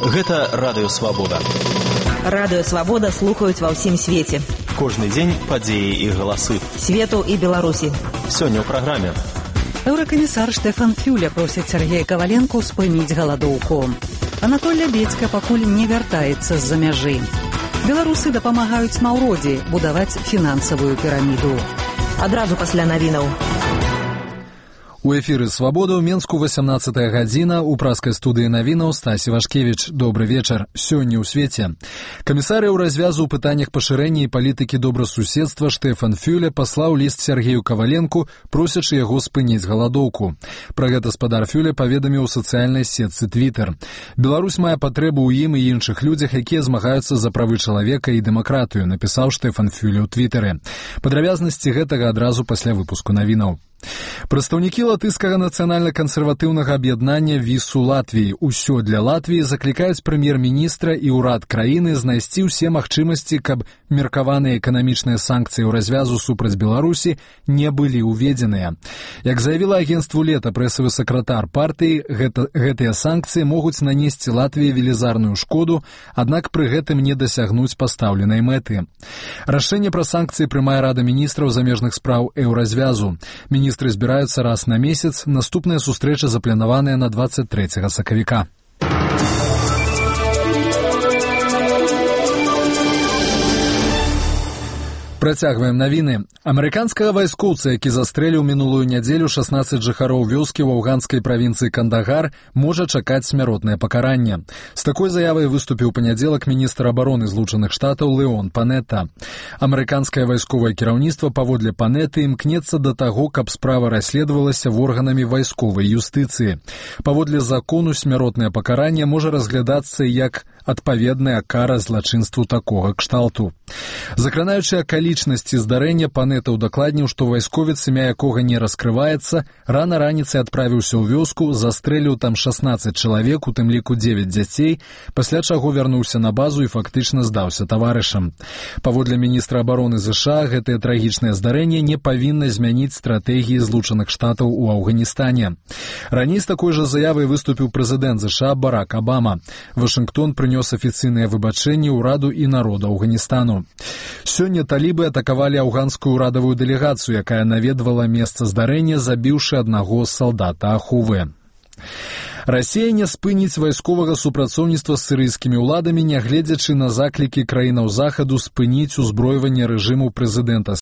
Гэта Радыё Свабода. Радыё Свабода слухаюць ва ўсім свеце. Кожны дзень падзеі і галасы. Свету і Беларусі. Сёння ў праграме. Еўракамісар Штефан Фюле просіць Сергея Каваленку спыніць галадоўку. Анатоль Лябедзька пакуль не вяртаецца з-за мяжы. Беларусы дапамагаюць Маўродзі будаваць фінансавую піраміду. Адразу пасля навінаў. У эфіры «Свабода» ў Менску 18-я гадзіна. У праскай студыі навінаў Стасі Вашкевіч. Добры вечар. Сёння ў свеце. Камісар Еўразвязу ў пытаннях пашырэння і палітыкі добрасуседства Штефан Фюле паслаў ліст Сергею Каваленку, просячы яго спыніць галадоўку. Пра гэта спадар Фюле паведаміў у сацыяльнай сетцы Твітер. Беларусь мае патрэбу ў ім і іншых людзях, якія змагаюцца за правы чалавека і дэмакратыю, напісаў Штефан Фюле ў Твітары. Падрабязнасці гэтага адразу пасля выпуску навінаў. Прадстаўнікі латышскага нацыянальна-кансерватыўнага аб'яднання ВІСУ Латвіі «Усё для Латвіі» заклікаюць прэм'ер-міністра і ўрад краіны знайсці ўсе магчымасці, каб меркаваныя эканамічныя санкцыі ў развязу супраць Беларусі не былі ўведзеныя. Як заявіла агенцтву «Лета» прэсавы сакратар партыі, гэтыя санкцыі могуць нанесці Латвіі велізарную шкоду, аднак пры гэтым не дасягнуць пастаўленай мэты. Рашэнне пра санкцыі прымае Рада міністраў замежных спраў Еўразвязу. Міністры збіраюцца раз на месяц, наступная сустрэча запланаваная на 23 сакавіка. Працягваем навіны. Амерыканскага вайскоўца, які застрэліў мінулую нядзелю 16 жыхароў вёскі ў афганскай правінцыі Кандагар, можа чакаць смяротнае пакаранне. З такой заявай выступіў панядзелак міністр абароны Злучаных Штатаў Леон Панетта. Амерыканскае вайсковае кіраўніцтва паводле Панетты імкнецца да таго, каб справа расследавалася органамі вайсковай юстыцыі. Паводле закону смяротнае пакаранне можа разглядацца як адпаведная кара злачынству такога кшталту. Закранаючы акалічнасці здарэння, Панетта ўдакладніў, што вайсковец, імя якога не раскрываецца, рана раніцай адправіўся ў вёску, застрэліў там 16 чалавек, у тым ліку 9 дзяцей, пасля чаго вярнуўся на базу і фактычна здаўся таварышам. Паводле міністра абароны ЗША, гэтае трагічнае здарэнне не павінна змяніць стратэгіі Злучаных Штатаў у Афганістане. Раней з такой жа заявай выступіў прэзідэнт ЗША Барак Абама. Вашынгтон прынёс афіцыйныя выбачэнні ўраду і народу Афганістану. Сёння талібы атакавалі афганскую ўрадавую дэлегацыю, якая наведвала месца здарэння, забіўшы аднаго салдата Ахувы. Расія не спыніць вайсковага супрацоўніцтва з сірыйскімі ўладамі, нягледзячы на заклікі краінаў захаду спыніць узброіванне рэжыму прэзідэнта